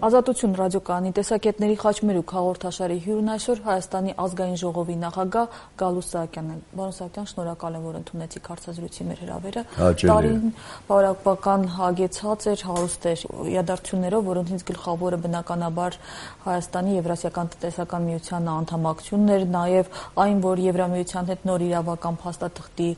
Ազատություն ռադիոկայանի տեսակետների խաչմերուկ հաղորդաշարի հյուրն այսօր Հայաստանի ազգային ժողովի նախագահ Գալուստ Սահակյանն է։ Պարոն Սահակյան, շնորհակալ եմ, որ ընդունեցիք հարցազրույցի մեր հրավերը։ Տարին բավական հագեցած էր, հարուստ էր իրադարձություններով, որոնցից գլխավորը բնականաբար Հայաստանի Եվրասիական տնտեսական միության անդամակցությունն էր, նաև այն, որ Եվրամիության հետ նոր իրավական փաստաթղթի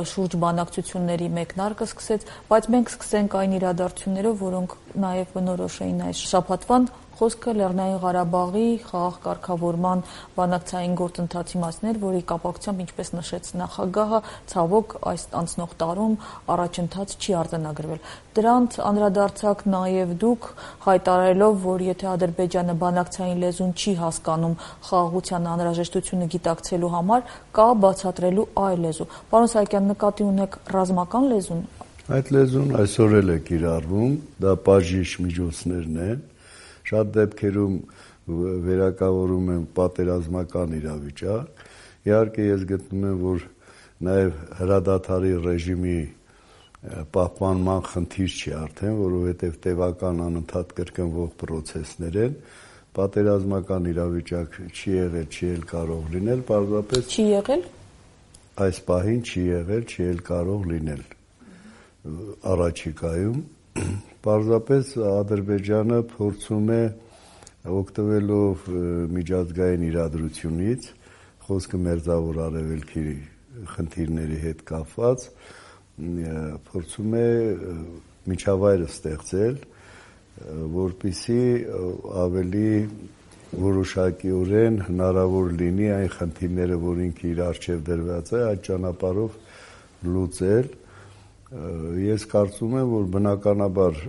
շուրջ բանակցությունների մեկնարկը սկսեց, բայց մենք սկսենք այն իրադարձություններով, որոնք նաև բնորոշ էին այս շաբաթվան, խոսքը Լեռնային Ղարաբաղի խաղաղ կարգավորման բանակցային գործընթացի մասին էր, որի կապակցությամբ, ինչպես նշեց նախագահը, ցավոք այս անցնող տարում առաջընթաց չի արձանագրվել։ Դրանց անդրադարձակ նաև դուք, հայտարարելով, որ եթե Ադրբեջանը բանակցային լեզուն չի հասկանում խաղաղության անհրաժեշտությունը գիտակցելու համար, կա բացատրելու այլ լեզու։ Պարոն Սահակյան, նկատի ունեք ռազմական լեզուն։ Այդ լեզուն այսօր էլ է կիրառվում, դա բաժիշ միջոցներն են, շատ դեպքերում վերակավորում են պատերազմական իրավիճակ, իհարկե ես գտնում եմ, որ նաև հրադադարի ռեժիմի պահպանման խնդիր չի արդեն, որովհետև տևական անընդհատ կրկնվող պրոցեսներ են, պատերազմական իրավիճակ չի եղել, չի էլ կարող լինել, պարզապես չի եղել։ Այս պահին չի եղել, չի էլ կարող լինել առաջիկայում, պարզապես Ադրբեջանը փորձում է օգտվելով միջազգային իրադրությունից, խոսքը Մերձավոր Արևելքի խնդիրների հետ կապված, փորձում է միջավայրը ստեղծել, որպեսզի ավելի որոշակիորեն հնարավոր լինի այն խնդիրները, որ ինքը իր առջև դրված է, այդ ճանապարհով լուծել։ Ես կարծում եմ, որ բնականաբար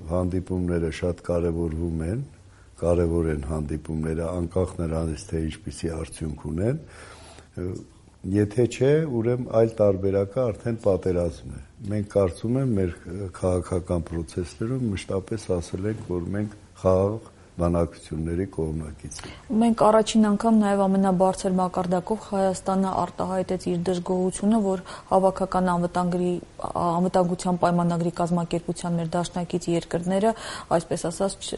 հանդիպումները շատ կարևոր են հանդիպումները, անկախ նրանից, թե ինչպիսի արդյունք ունեն, եթե չէ, ուրեմն այլ տարբերակը արդեն պատերազմն է։ Մենք կարծում եմ, մեր քաղաքական պրոցեսներում մշտապես ասել ենք, որ մենք խաղաղ բանակցությունների կողմնակից ենք։ Մենք առաջին անգամ նաև ամենաբարձր մակարդակով Հայաստանը արտահայտեց իր դժգոհությունը, որ հավաքական անվտանգության պայմանագրի կազմակերպության մեր դաշնակից երկրները, այսպես ասած,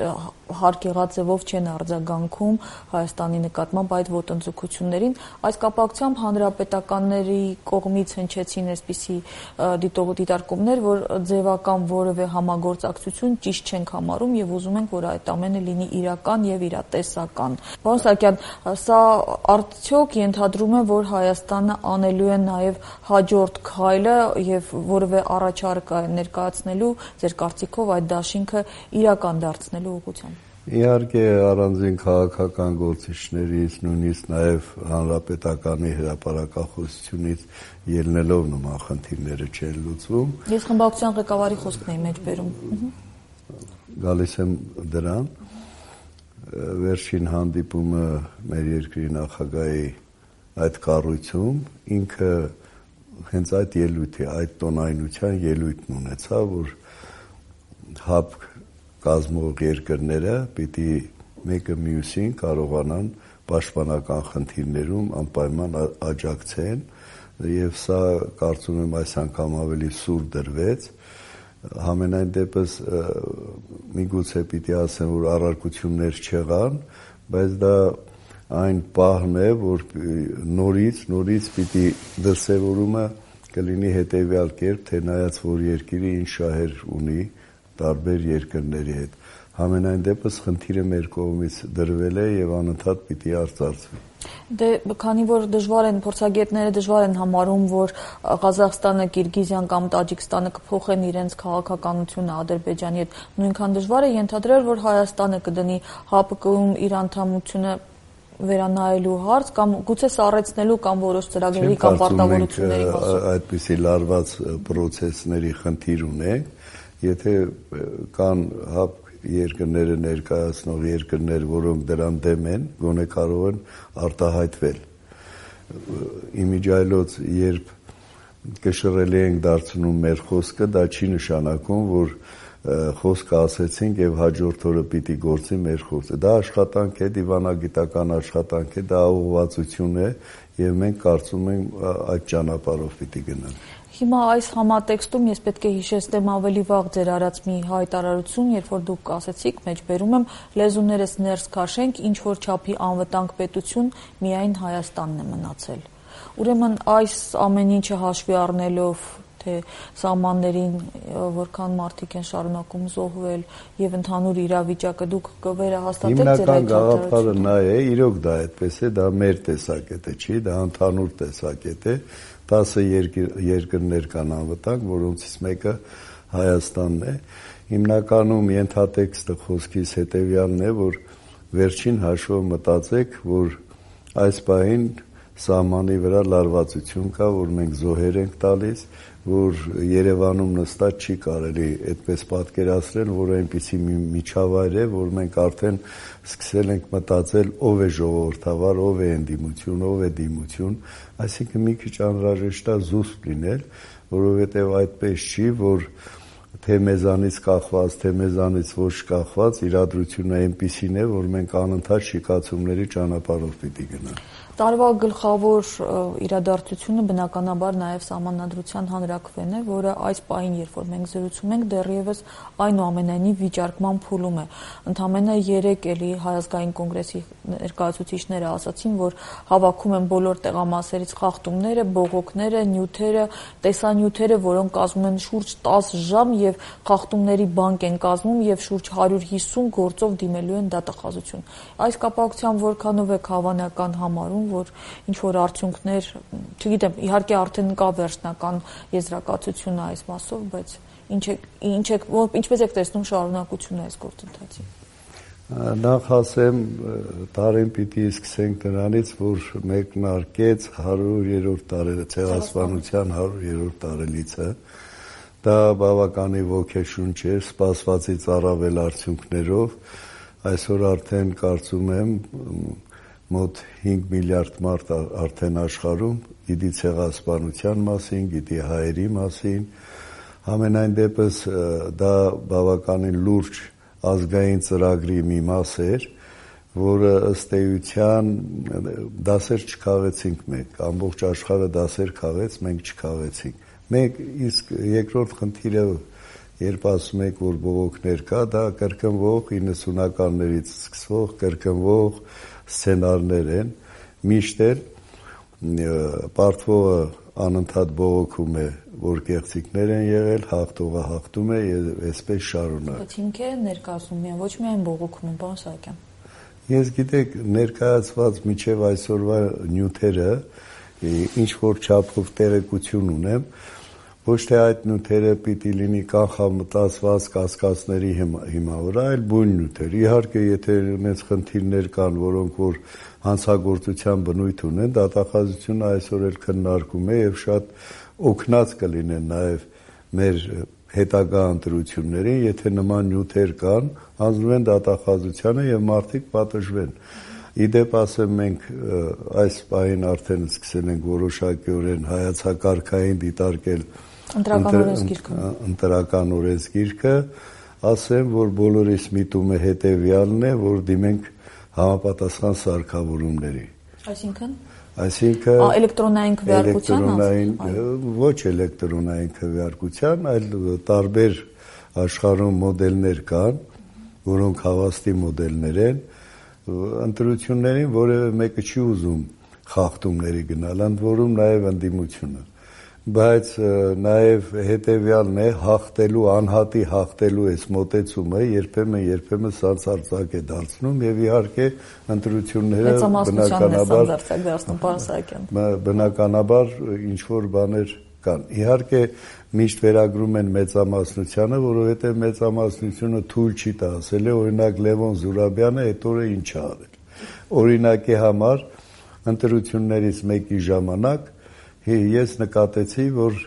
հարկեղած ձևով չեն արձագանքում Հայաստանի նկատմամբ այդ ոտնձգություններին։ Այս կապակցությամբ հանրապետականների կողմից հնչեցին այսպիսի դիտարկումներ, որ ձևական որևէ համագործակցություն ճիշտ չենք համարում եւ ուզում ենք, որ այդ ամենը լինի իրական եւ իրատեսական։ Պարոն Սահակյան, սա արդյոք ենթադրում է, որ Հայաստանը անելու է նաեւ հաջորդ քայլը եւ որևէ առաջարկ ներկայացնելու ձեր կարծիքով այդ դաշինքը իրական դարձնելու ուղղությամբ։ Իհարկե առանձին քաղաքական գործիչներից, նույնիսկ նաև հանրապետականի հրապարակախոսությունից ելնելով նման խնդիրները չեն լուծվում։ Ես խմբակցության ղեկավարի խոսքն էի մեջբերում։ Գալիս եմ դրան։ Վերջին հանդիպումը մեր երկրի նախագահի այդ կառույցում ինքը հենց այդ ելույթի, այդ տոնայնության ելույթն ունեցավ, որ հապ կազմող երկրները պիտի մեկը մյուսին կարողանան պաշտպանական խնդիրներում անպայման աջակցեն եւ սա կարծում եմ այս անգամ ավելի սուր դրվեց։ Համենայն դեպս միգուցե պիտի ասեմ, որ առարկություններ չեղան, բայց դա այն պահն է, որ նորից պիտի դրսևորումը կլինի հետեւյալ կերպ, թե նայած որ երկիրը ինչ շահեր ունի տարբեր երկրների հետ։ Համենայն դեպս խնդիրը մեր կողմից դրվել է եւ անընդհատ պիտի արծարծվի։ Դե քանի որ փորձագետները դժվար են համարում, որ Ղազախստանը, Կիրգիզիան կամ Տաջիկստանը կփոխեն իրենց քաղաքականությունը Ադրբեջանի հետ, նույնքան դժվար է ենթադրել, որ Հայաստանը կդնի ՀԱՊԿ-ում իր անդամությունը վերանայելու հարց կամ գուցե սառեցնելու կամ որոշ ծրագրերի կամ պարտավորությունների մասին։ Այդպիսի լարված պրոցեսների խնդիր ունենք, եթե կան ՀԱՊԿ երկրները ներկայացնող երկրներ, որոնք դրան դեմ են, գոնե կարող են արտահայտվել։ Իմիջիայլոց, երբ կշռելի ենք դարձնում մեր խոսքը, դա չի նշանակում, որ խոսքը ասեցինք եւ հաջորդ օրը պիտի գործի մեր խոսքը։ Դա աշխատանք է, դիվանագիտական աշխատանք է, դա ուղղվածություն է եւ մենք կարծում ենք այդ ճանապարհով պիտի գնանք։ Հիմա այս համատեքստում ես պետք է հիշեցնեմ ավելի վաղ ձեր արած մի հայտարարություն, երբ որ դուք ասեցիք, մեջբերում եմ, լեզուներս ներս քաշենք, ինչ որ չափի անվտանգ պետություն միայն Հայաստանն է մնացել։ Ուրեմն այս ամեն ինչը հաշվի առնելով, թե սահմաններին որքան մարդիկ են շարունակում զոհվել եւ ընդհանուր իրավիճակը դուք կվերահաստատեք ձեր այդ գաղափարը նա է, իրոք դա այդպես է, դա մեր տեսակետը չի, դա ընդհանուր տեսակետ է, 10 երկրներ կան անվտանգ, որոնցից մեկը Հայաստանն է։ Հիմնականում ենթատեքստը խոսքից հետեւյալն է, որ վերջին հաշվով մտածեք, որ այս պահին սահմանի վրա լարվածություն կա, որ մենք զոհեր ենք տալիս, որ Երևանում նստած չի կարելի այդպես պատկերացնել, որ այնպիսի մի միջավայր է, որ մենք արդեն սկսել ենք մտածել ով է ժողովրդավար, ով է ընդդիմություն, ով է դիմություն, այսինքն մի քիչ անհրաժեշտ է զուսպ լինել, որովհետև այդպես չի, որ թե մեզանից կախված, թե մեզանից ոչ կախված իրադրությունը այնպիսին է, որ մենք անընդհատ շիկացումների ճանապարհով պիտի գնանք։ Տարվա գլխավոր իրադարձությունը բնականաբար նաև Սահմանադրության հանրաքվեն է, որը այս պահին, երբ որ մենք զրուցում ենք, դեռևս այնուամենայնիվ վիճարկման փուլում է։ Ընդամենը 3 էլի Հայազգային կոնգրեսի ներկայացուցիչները ասացին, որ հավաքում են բոլոր տեղամասերից խախտումները, բողոքները, նյութերը, տեսանյութերը, որոնք կազմում են շուրջ 10 ժամ եւ խախտումների բանկ են կազմում եւ շուրջ 150 գործով դիմելու են դատախազություն։ Այս կապակցությամբ որքանով եք հավանական համարում, որ ինչ-որ արդյունքներ, չգիտեմ, իհարկե արդեն կա վերջնական եզրակացությունը այս մասով, բայց ինչպես եք տեսնում շարունակությունը այս գործընթացի։ Նախ ասեմ, տարին պիտի սկսենք նրանից, որ մեկնարկեց 100-րդ ցեղասպանության 100-րդ տարելիցը, դա բավականին ոգեշունչ էր, սպասվածից առավել արդյունքներով, այսօր արդեն կարծում եմ մոտ 5 միլիարդ մարդ արդեն աշխարհում գիտի ցեղասպանության մասին, գիտի հայերի մասին, համենայն դեպս դա բավականին լուրջ ազգային ծրագրի մի մաս էր, որը ըստ էության դասեր չքավեցինք մենք, ամբողջ աշխարհը դասեր քավեց, մենք չքավեցինք։ Մենք իսկ երկրորդ խնդիրը, երբ ասում եք, որ բողոքներ կա, դա կրկնվող 90-ականներից սկսվող կրկնվող սցենարներ են, միշտ էլ պարտվողը անընդհատ բողոքում է, որ կեղծիքներ են եղել, հաղթողը հաղթում է եւ այսպես շարունակ։ Բայց հիմքերը ներկայացնում են, ոչ միայն բողոքում են, պարոն Սահակյան։ Ես գիտեք, ներկայացված միջև այսօրվա նյութերը ինչ որ չափով տեղեկություն ունեմ, ոչ թե այդ նյութերը պիտի լինի կանխամտածված կասկածների հիմա վրա, այլ բուն նյութեր։ Իհարկե, եթե մեծ խնդիրներ կան, որոնք որ հանցագործության բնույթ ունեն, դատախազությունը այսօր էլ քննարկում է եւ շատ օգնած կլինեն նաեւ մեր հետագա ընտրություններին, եթե նման նյութեր կան, հանձնվում են դատախազությանը եւ մարդիկ պատժվեն։ Իդեպ ասեմ, մենք այս պահին արդեն սկսել ենք որոշակիորեն հայացակարգային դիտարկել ընտրական օրենսգիրքը, ասեմ, որ բոլորիս միտումը հետևյալն է, որ դիմենք համապատասխան սարքավորումների։ Այսինքն էլեկտրոնային քվեարկության, ոչ էլեկտրոնային քվեարկության, այլ տարբեր աշխարհում մոդելներ կան, որոնք հավաստի մոդելներ են, ընտրություններին որևէ մեկը չի ուզում խախտումների գնալ, ընդ որում նաև ընդդիմությունը, բայց նաև հետևյալն է, հաղթելու, անհատի հաղթելու այս մոտեցումը երբեմն սանձարձակ է դարձնում եւ իհարկե ընտրությունները բնականաբար ինչ որ բաներ կան։ Իհարկե միշտ վերագրում են մեծամասնությանը, որովհետեւ մեծամասնությունը թույլ չի տա ասել է, օրինակ Լևոն Զուրաբյանը այդ օրը ինչ է արել։ Օրինակի համար ընտրություններից մեկի ժամանակ ես նկատեցի, որ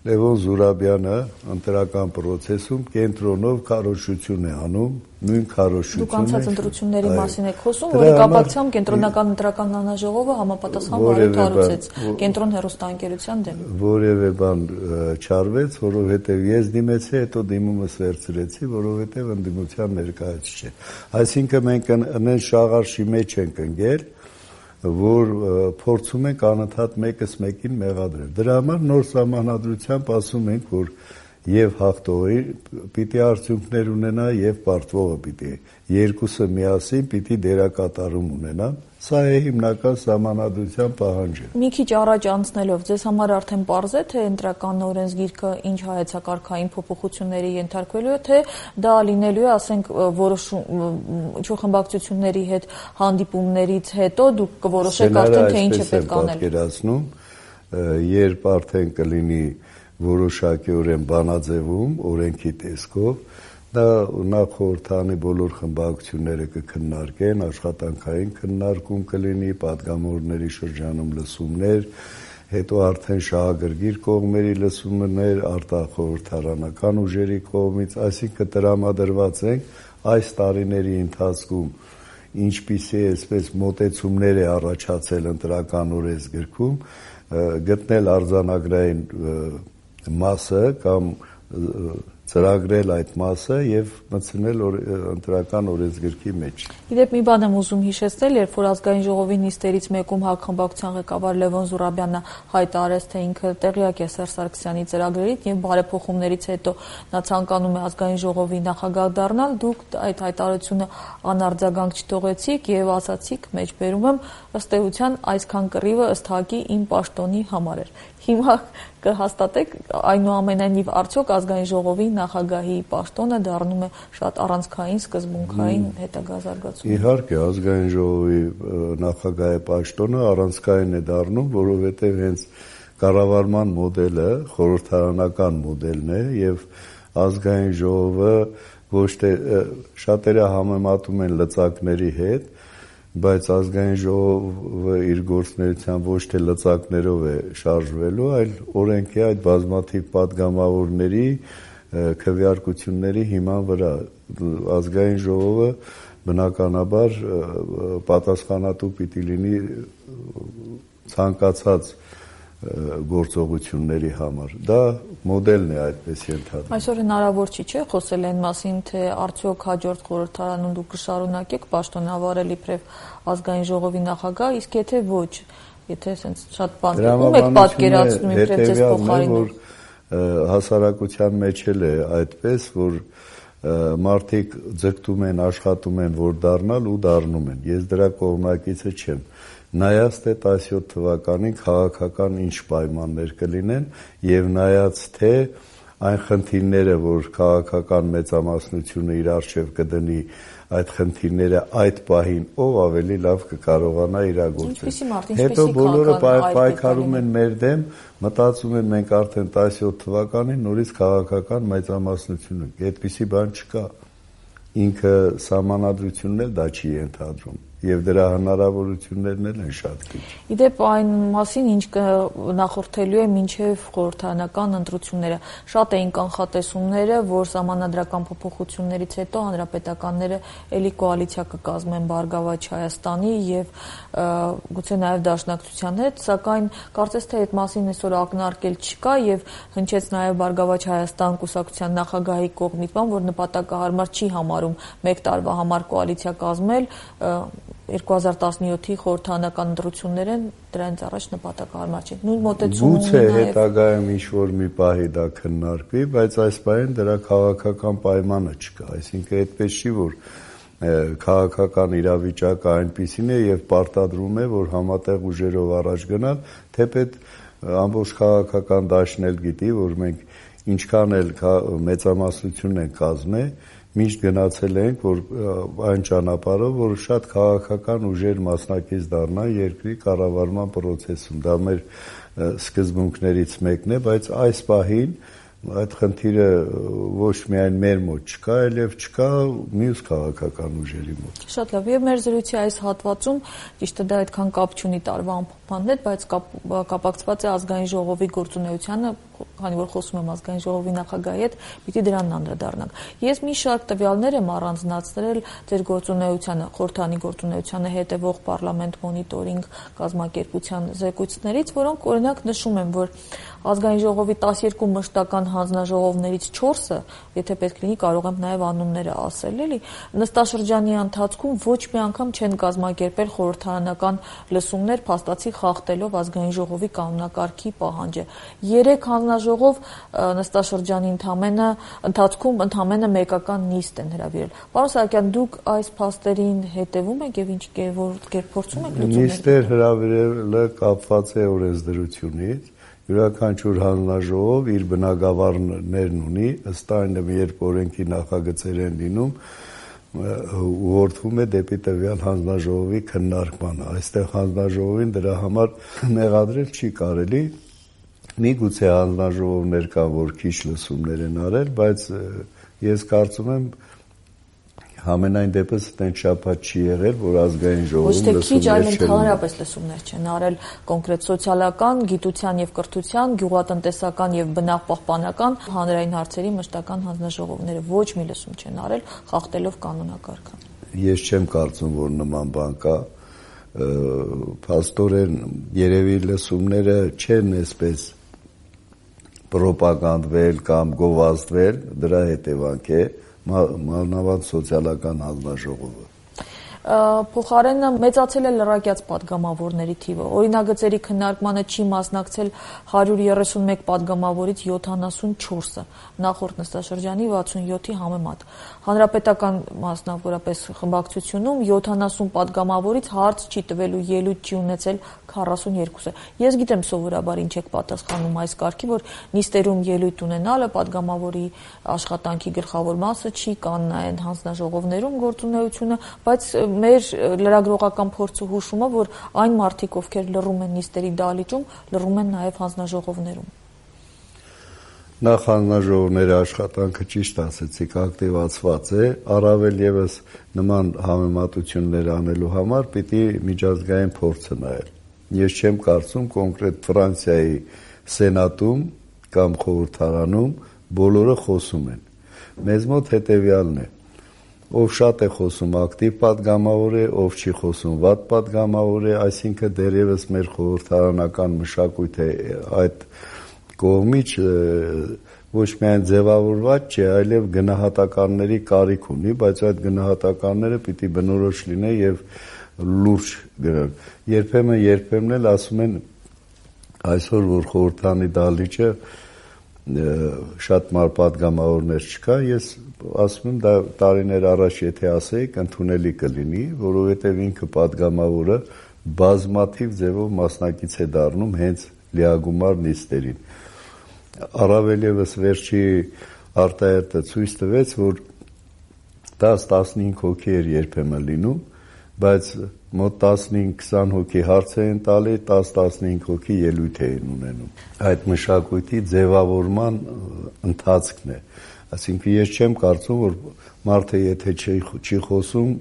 Լևոն Զուրաբյանը ընտրական process-ում կենտրոնով քարոզություն է անում, նույն քարոզությունը։ Դուք անցած ընտրությունների մասին եք խոսում, որի կապակցությամբ կենտրոնական ընտրական հանձնաժողովը համապատասխան վարույթ հարուցեց կենտրոն հեռուստաընկերության դեմ։ Որևէ բան չարվեց, որովհետև ես դիմեցի, հետո դիմումս վերցրեցի, որովհետև ընդդիմության ներկայացուցիչ չէ։ Այսինքն մենք նույն շաղարշի մեջ ենք ընկել, որ փորձում ենք անընդհատ մեկս մեկին մեղադրել։ Դրա համար նոր սահմանադրությամբ ասում ենք, որ եւ հաղթողի պիտի արդյունքներ ունենա եւ պարտվողը պիտի երկուսը միասին պիտի դերակատարում ունենան։ Սա է հիմնական սահմանադրության պահանջը։ Մի քիչ առաջ անցնելով, ձեզ համար արդեն պարզ է, թե ընտրական օրենսգիրքը ինչ հայեցակարգային փոփոխությունների ենթարկվելու է, թե դա լինելու է, ասենք, որոշ խմբակցությունների հետ հանդիպումներից հետո դուք կորոշեք արդեն թե ինչ է պետք անել։ Պատկերացնում, երբ արդեն կլինի որոշակիորեն բանաձևում օրենքի տեսքով, դա նախ խորհրդանի բոլոր խմբակցությունները կքննարկեն, աշխատանքային քննարկում կլինի, պատգամավորների շրջանում լսումներ, հետո արդեն շահագրգիռ կողմերի լսումներ, արտախորհրդարանական ուժերի կողմից, այսինքն տրամադրված ենք այս տարիների ընթացքում ինչպիսի այսպես մոտեցումներ է առաջացել ընտրական օրենսգրքում, գտնել արձանագրային մասը կամ ծրագրել այդ մասը եւ մտցնել ընտրական օրենսգրքի մեջ։ Իդեպ մի բան եմ ուզում հիշեցնել, երբ որ ազգային ժողովի նիստերից մեկում ՀԱԿ խմբակցության ղեկավար Լևոն Զուրաբյանը հայտարարեց, թե ինքը տեղյակ է Սերժ Սարգսյանի ծրագրերից եւ բարեփոխումներից հետո նա ցանկանում է ազգային ժողովի նախագահ դառնալ, դուք այդ հայտարարությունը անարձագանք չթողեցիք եւ ասացիք, մեջբերում եմ, ըստ էության այսքան կռիվը ըստ ՀԱԿ-ի իմ պաշտոնի համար էր։ Հիմա կհաստատեք այնուամենայնիվ արդյոք ազգային ժողովի նախագահի պաշտոնը դառնում է շատ առանցքային, սկզբունքային հետագա զարգացում։ Իհարկե, ազգային ժողովի նախագահի պաշտոնը առանցքային է դառնում, որովհետև հենց կառավարման մոդելը խորհրդարանական մոդելն է եւ ազգային ժողովը ոչ թե շատերը համեմատում են լծակների հետ, բայց ազգային ժողովը իր գործունեության ոչ թե լծակներով է շարժվելու, այլ օրենքի այդ բազմաթիվ պատգամավորների քվեարկությունների հիման վրա ազգային ժողովը բնականաբար պատասխանատու պիտի լինի ցանկացած գործողությունների համար։ Դա մոդելն է այդպես ենթադրվում։ Այսօր հնարավոր չի խոսել այն մասին, թե արդյոք հաջորդ խորհրդարանում դուք կշարունակեք պաշտոնավարել իբրև ազգային ժողովի նախագահ, իսկ եթե ոչ, եթե ասենց շատ բան եք պատկերացնում իբրև ձեզ փոխարինել։ Հասարակության մեջ էլ է այդպես, որ մարդիկ ձգտում են, աշխատում են, որ դառնալ ու դառնում են։ Ես դրա կողմնակիցը չեմ։ Նայած թե 17 թվականին քաղաքական ինչ պայմաններ կլինեն եւ նայած թե այն խնդիրները, որ քաղաքական մեծամասնությունը իր արժեվ կդնի, այդ խնդիրները այդ պահին ով ավելի լավ կկարողանա իրագործել։ Հետո բոլորը պայքարում են մեր դեմ, մտածում են մենք արդեն 17 թվականին նորից քաղաքական մեծամասնություն ենք։ Այդպիսի բան չկա։ Ինքը սահմանադրությունն էլ դա չի ենթադրում։ Եվ դրա հնարավորություններն էլ են շատ քիչ։ Իդեպ այն մասին, ինչ նախորդելու է մինչև խորհրդարանական ընտրությունները, շատ էին կանխատեսումները, որ սահմանադրական փոփոխություններից հետո հանրապետականները էլի կոալիցիա կկազմեն Բարգավաճ Հայաստանի եւ գուցե նաեւ Դաշնակցության հետ, սակայն կարծես թե այդ մասին այսօր ակնարկել չկա եւ հնչեց նաեւ Բարգավաճ Հայաստան կուսակցության նախագահի կողմից, որ նպատակահարմար չի համարում մեկ տարվա համար կոալիցիա կազմել 2017-ի խորհրդարանական ընտրություններն դրանից առաջ նպատակահարմար չէ։ Նույն մոտեցումը գուցե հետագայում ինչ-որ մի պահի դա քննարկվի, բայց այս պահին դրա քաղաքական պայմանը չկա, այսինքն այդպես չի, որ քաղաքական իրավիճակը այնպիսին է եւ պարտադրում է, որ համատեղ ուժերով առաջ գնալ, թեպետ ամբողջ քաղաքական դաշտն էլ գիտի, որ մենք ինչքան էլ մեծամասնություն ենք կազմել, միշտ գնացել ենք, որ այն ճանապարհով, որ շատ քաղաքական ուժեր մասնակից դառնան երկրի կառավարման process-ում։ Դա մեր սկզբունքներից մեկն է, բայց այս պահին այդ խնդիրը ոչ միայն մեր մոտ չկա, այլև չկա մյուս քաղաքական ուժերի մոտ։ Շատ լավ, եւ մեր զրույցի այս հատվածում ճիշտ է դա այդքան կապ չունի տարվա ամփոփման հետ, բայց կապակցված է ազգային ժողովի գործունեությանը քանի որ խոսում եմ ազգային ժողովի նախագահի հետ, պիտի դրան անդրադառնանք։ Ես մի շարք տվյալներ եմ առանձնացրել ձեր գործունեությանը, խորհրդանի գործունեությանը հետևող Պարլամենտ մոնիտորինգ կազմակերպության զեկույցներից, որոնք օրինակ նշում են, որ ազգային ժողովի 12 մշտական հանձնաժողովներից 4-ը, եթե պետք լինի, կարող եմ նաև անունները ասել, էլի, նստաշրջանի ընթացքում ոչ մի անգամ չեն կազմակերպել խորհրդարանական լսումներ, փաստացի խախտելով ազգային ժողովի կանոնակարգի պահանջը։ 3 հանձնաժողով նստաշրջանի ընթացքում ընդամենը մեկական նիստ են հրավիրել։ Պարոն Սահակյան, դուք այս փաստերին հետևում եք եւ ինչ կերպ փորձում եք լուծումներ։ Նիստեր հրավիրելը կապված է օրենսդրությունից։ Յուրաքանչյուր հանձնաժողով իր բնագավառներն ունի, ըստ այն, երբ օրենքի նախագծեր են լինում, ուղղորդվում է դեպի տվյալ հանձնաժողովի քննարկմանը։ Այստեղ հանձնաժողովին դրա համար մեղադրել չի կարելի։ Միգուցե հանձնաժողովներ կան, որ քիչ լսումներ են արել, բայց ես կարծում եմ համենայն դեպս այդպես շաբաթ չի եղել, որ ազգային ժողովում լսումներ չեն արել։ Ոչ թե քիչ, այլ ընդհանրապես լսումներ չեն արել կոնկրետ սոցիալական, գիտության եւ կրթության, գյուղատնտեսական եւ բնապահպանական հանրային հարցերի մշտական հանձնաժողովները ոչ մի լսում չեն արել, խախտելով կանոնակարգը։ Ես չեմ կարծում, որ նման բան կա։ Փաստորեն երևի լսումները չեն այսպես պրոպագանդվել կամ գովազդվել, դրա հետևանք է մանավանդ սոցիալական հանձնաժողովը։ Փոխարենը մեծացել է լրակյաց պատգամավորների թիվը։ Օրինագծերի քննարկմանը չի մասնակցել 131 պատգամավորից 74-ը, նախորդ նստաշրջանի 67-ի համեմատ։ Հանրապետական մասնավորապես խմբակցությունում 70 պատգամավորից հարց չի տվելու ելույթ չի ունեցել 42-ը։ Ես գիտեմ սովորաբար ինչ եք պատասխանում այս կարգի, որ նիստերում ելույթ ունենալը պատգամավորի աշխատանքի գլխավոր մասը չի, կան այն հանձնաժողովներում գործունեությունը, բայց մեր լրագրողական փորձը հուշում է, որ այն մարդիկ, ովքեր լռում են նիստերի դահլիճում, լռում են նաև հանձնաժողովներում։ Նախ հանձնաժողովների աշխատանքը ճիշտ ասեցիք, ակտիվացված է, առավել եւս նման համեմատություններ անելու համար պիտի միջազգային փորձը նայել։ Ես չեմ կարծում կոնկրետ Ֆրանսիայի սենատում կամ խորհրդարանում բոլորը խոսում են։ Մեզ մոտ հետեւյալն է. ով շատ է խոսում ակտիվ պատգամավոր է, ով չի խոսում վատ պատգամավոր է, այսինքն դեռևս մեր խորհրդարանական մշակույթը այդ կողմից ոչ միայն ձևավորված չէ, այլև գնահատականների կարիք ունի, բայց այդ գնահատականները պիտի բնորոշ լինեն եւ լուրջ գրեն։ Երբեմն էլ ասում են այսօր որ խորհրդանի դահլիճը շատ պատգամավորներ չկա, ես ասում եմ դա տարիներ առաջ եթե ասեիք ընդունելի կլինի, որովհետև ինքը պատգամավորը բազմաթիվ ձևով մասնակից է դառնում հենց լիագումար նիստերին։ Առավել եւս վերջի արտահայտը ցույց տվեց, որ 10-15 հոգի էր երբեմն լինում, բայց մոտ 15-20 հոգի հարց էին տալի, 10-15 հոգի ելույթ էին ունենում։ Այդ մշակույթի ձևավորման ընթացքն է։ Այսինքն ես չեմ կարծում, որ մարդը եթե չի խոսում,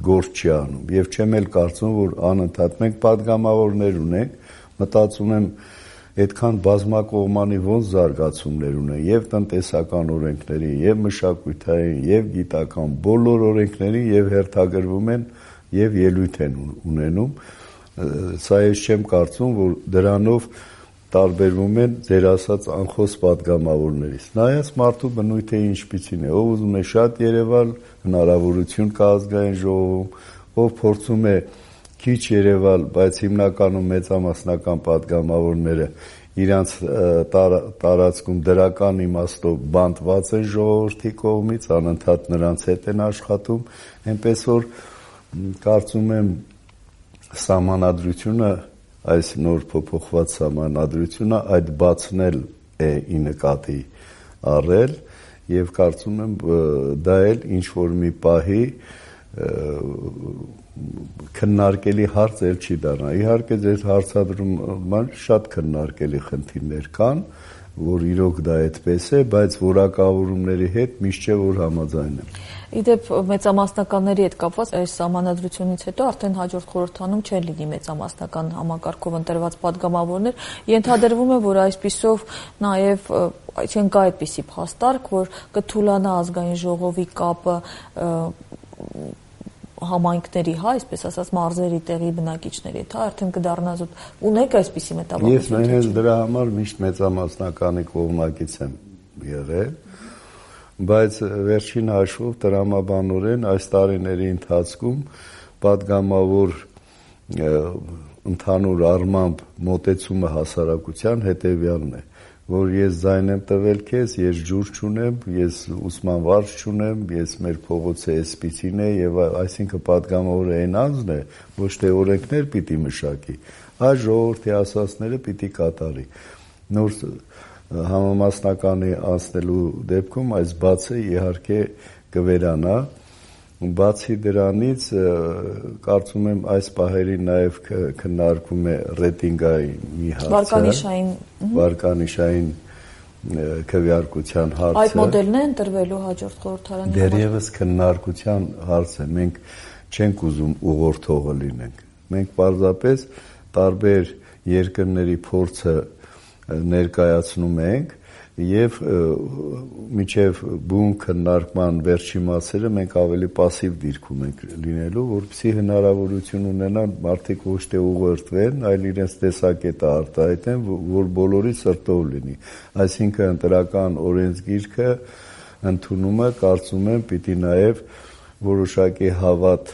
գործ չի անում, եւ չեմ էլ կարծում, որ անընդհատ մենք պատգամավորներ ունենք, մտածում եմ այդքան բազմակողմանի ոնց զարգացումներ ունեն եւ տնտեսական օրենքների, եւ մշակութային, եւ գիտական բոլոր օրենքների եւ հերթագրվում են եւ ելույթ են ունենում։ Սա ես չեմ կարծում, որ դրանով տարբերվում են ձեր ասած անխոս պատգամավորներից։ Նայած մարդու բնույթը ինչպիսին է, ով ուզում է շատ երևալ, հնարավորություն կա ազգային ժողովում, ով փորձում է քիչ երևալ, բայց հիմնականում մեծամասնական պատգամավորները իրանց տարածքում դրական իմաստով բանտված են ժողովրդի կողմից, անընդհատ նրանց հետ են աշխատում, այնպես որ կարծում եմ սահմանադրությունը այս նոր փոփոխված սահմանադրությունը այդ բացնել է ի նկատի առել եւ կարծում եմ դա էլ ինչ որ մի պահի քննարկելի հարց էլ չի դառնա։ Իհարկե ձեր հարցադրման շատ քննարկելի խնդիրներ կան, որ իրոք դա այդպես է, բայց որակավորումների հետ միշտ չէ որ համաձայն եմ։ Իդեպ մեծամասնականների հետ կապված այս սահմանադրությունից հետո արդեն հաջորդ խորհրդանում չեն լինի մեծամասնական համակարգով ընտրված падգամավորներ, ենթադրվում է, որ այսպիսով նաև չեն կա այդպիսի փաստարկ, որ կթուլանա ազգային ժողովի կապը համայնքների, այսպես ասած, մարզերի տեղի բնակիչների հետ, արդեն կդառնա զուտ։ Ունեք այսպիսի մտավախություն։ Ես հենց դրա համար միշտ մեծամասնականի կողմնակից եմ եղել, բայց վերջին հաշվով տրամաբանորեն այս տարիների ընթացքում падգամավոր ընդհանուր առմամբ մոտեցումը հասարակության հետևյալն է, որ ես ձայն եմ տվել քեզ, ես ջուր չունեմ, ես ուսման վարձ չունեմ, ես մեր փողոցը էսպիսին է եւ այսինքն падգամավորը այն անձն է, ոչ թե օրենքներ պիտի մշակի, այլ ժողովրդի ասածները պիտի կատարի։ Նոր համամասնականի անցնելու դեպքում այս բացը իհարկե կվերանա, բացի դրանից կարծում եմ այս պահերին նաև քննարկվում է ռեյտինգային մի հարցը, վարկանիշային քվեարկության հարցը։ Այդ մոդելն է ընտրվելու հաջորդ խորհրդարանի համար։ Դեռևս քննարկության հարց է, մենք չենք ուզում ուղղորդողը լինենք, մենք պարզապես տարբեր երկրների փորձը ներկայացնում ենք եւ միջև բուն քննարկման վերջի մասերը մենք ավելի пассив դիրքում ենք լինելու, որպեսզի հնարավորություն ունենան մարդիկ ոչ թե ուղղորդվեն, այլ իրենց տեսակետը արտահայտեն, որ բոլորի սրտով լինի։ Այսինքն ընտրական օրենսգիրքը ընդունումը կարծում եմ պիտի նաեւ որոշակի հավատ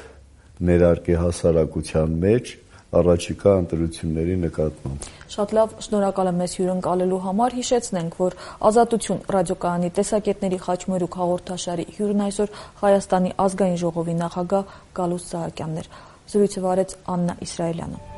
ներարկի հասարակության մեջ առաջիկա ընտրությունների նկատմամբ։ Շատ լավ, շնորհակալ եմ մեզ հյուրընկալելու համար։ Հիշեցնենք, որ Ազատություն ռադիոկայանի տեսակետների խաչմերուկ հաղորդաշարի հյուրն այսօր Հայաստանի ազգային ժողովի նախագահ Գալուստ Սահակյանն էր։ Զրույցը վարեց Աննա Իսրայելյանը։